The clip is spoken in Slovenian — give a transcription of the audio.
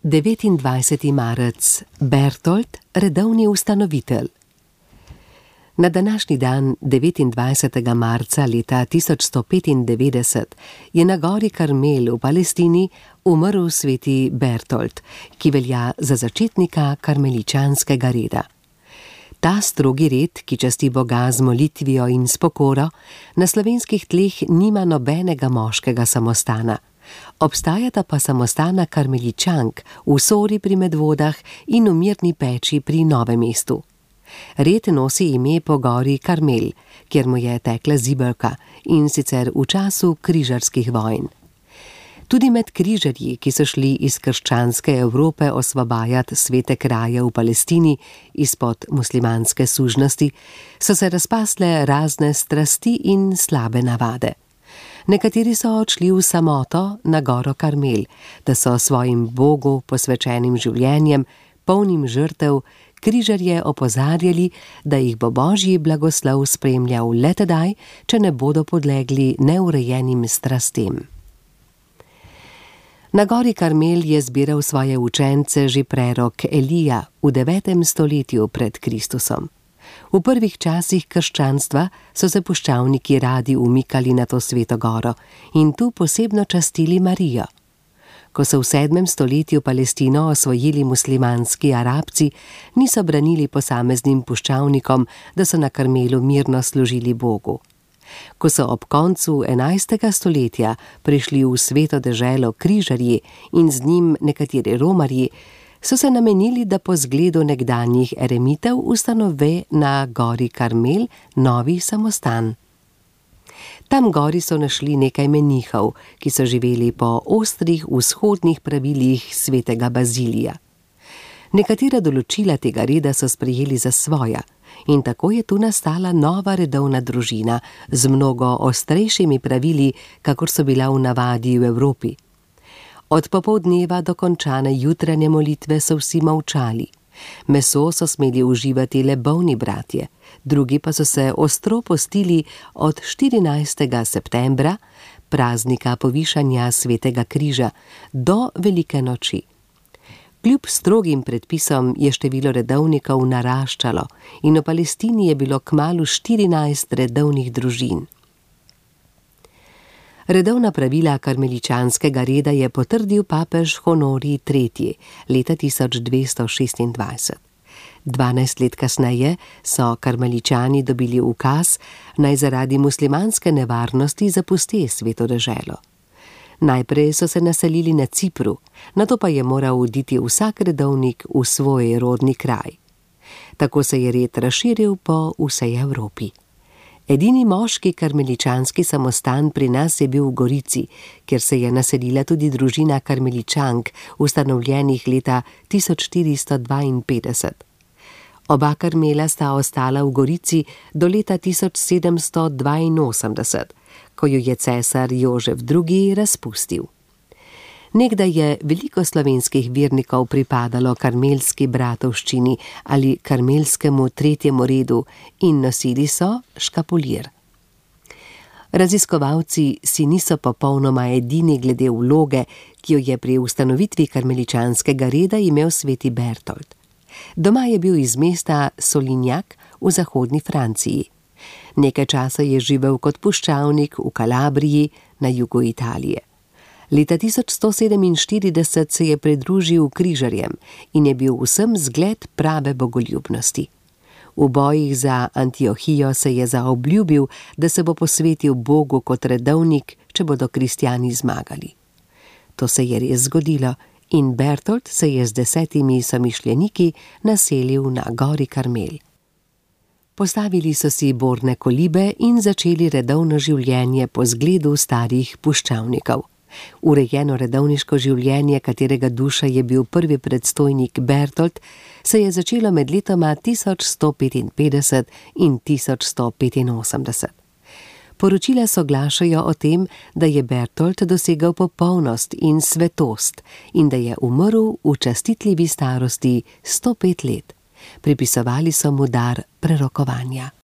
29. marec. Bertolt, redovni ustanovitelj. Na današnji dan, 29. marca leta 1195, je na gori Karmel v Palestini umrl sveti Bertolt, ki velja za začetnika karmeličanskega reda. Ta strogi red, ki časti Boga z molitvijo in s pokoro, na slovenskih tleh nima nobenega moškega samostana. Obstajata pa samostana karmeličank v Sori pri Medvodah in v Mirni peči pri Novem mestu. Red nosi ime po gori Karmel, kjer mu je tekla zibelka, in sicer v času križarskih vojn. Tudi med križarji, ki so šli iz krščanske Evrope osvobajati svete kraje v Palestini izpod muslimanske sužnosti, so se razpasle razne strasti in slabe navade. Nekateri so odšli v samoto na goro Karmel, da so svojim Bogu posvečenim življenjem, polnim žrtev, križarje opozarjali, da jih bo Božji blagoslov spremljal le tedaj, če ne bodo podlegli neurejenim strastem. Na gori Karmel je zbiral svoje učence že prerok Elija v 9. stoletju pred Kristusom. V prvih časih krščanstva so se puščavniki radi umikali na to sveto goro in tu posebno častili Marijo. Ko so v 7. stoletju Palestino osvojili muslimanski Arabci, niso branili posameznim puščavnikom, da so na Karmelu mirno služili Bogu. Ko so ob koncu 11. stoletja prišli v sveto deželo križarji in z njim nekateri romarji, so se namenili, da po zgledu nekdanjih eremitev ustanovi na gori Karmel novi samostan. Tam gori so našli nekaj menihov, ki so živeli po ostrih vzhodnih pravilih svetega Bazilija. Nekatera določila tega reda so sprejeli za svoja in tako je tu nastala nova redovna družina z mnogo ostrejšimi pravili, kakor so bila v navadi v Evropi. Od popoldneva do končane jutranje molitve so vsi molčali. Meso so smeli uživati le bolni bratje, drugi pa so se ostro postili od 14. septembra, praznika povišanja svetega križa, do velike noči. Kljub strogim predpisom je število redovnikov naraščalo in v Palestini je bilo kmalu 14 redovnih družin. Redovna pravila karmeličanskega reda je potrdil papež Honorij III. Leta 1226. 12 let kasneje so karmeličani dobili ukaz, naj zaradi muslimanske nevarnosti zapusti sveto deželo. Najprej so se naselili na Cipru, nato pa je moral oditi vsak redovnik v svoj rodni kraj. Tako se je red razširil po vsej Evropi. Edini moški karmeličanski samostan pri nas je bil v Gorici, kjer se je naselila tudi družina karmeličank, ustanovljenih leta 1452. Oba Karmela sta ostala v Gorici do leta 1782, ko jo je cesar Jožef II. Razpustil. Nekdaj je veliko slovenskih vernikov pripadalo karmelski bratovščini ali karmelskemu tretjemu redu in nosili so škapulir. Raziskovalci si niso popolnoma edini glede vloge, ki jo je pri ustanovitvi karmeličanskega reda imel sveti Bertolt. Doma je bil iz mesta Solinjak v zahodni Franciji. Nekaj časa je živel kot puščavnik v Kalabriji na jugu Italije. Leta 1147 se je pridružil križarjem in je bil vsem zgled prave bogoljubnosti. V bojih za Antiohijo se je zaobljubil, da se bo posvetil Bogu kot redovnik, če bodo kristjani zmagali. To se je res zgodilo in Bertolt se je z 10 somišljeniki naselil na gori Karmel. Postavili so si borne kolibe in začeli redovno življenje po zgledu starih puščavnikov. Urejeno redovniško življenje, katerega duša je bil prvi predstojnik Bertolt, se je začelo med letoma 1155 in 1185. Poročila soglašajo o tem, da je Bertolt dosegel popolnost in svetost in da je umrl v častitljivi starosti 105 let. Pripisovali so mu dar prerokovanja.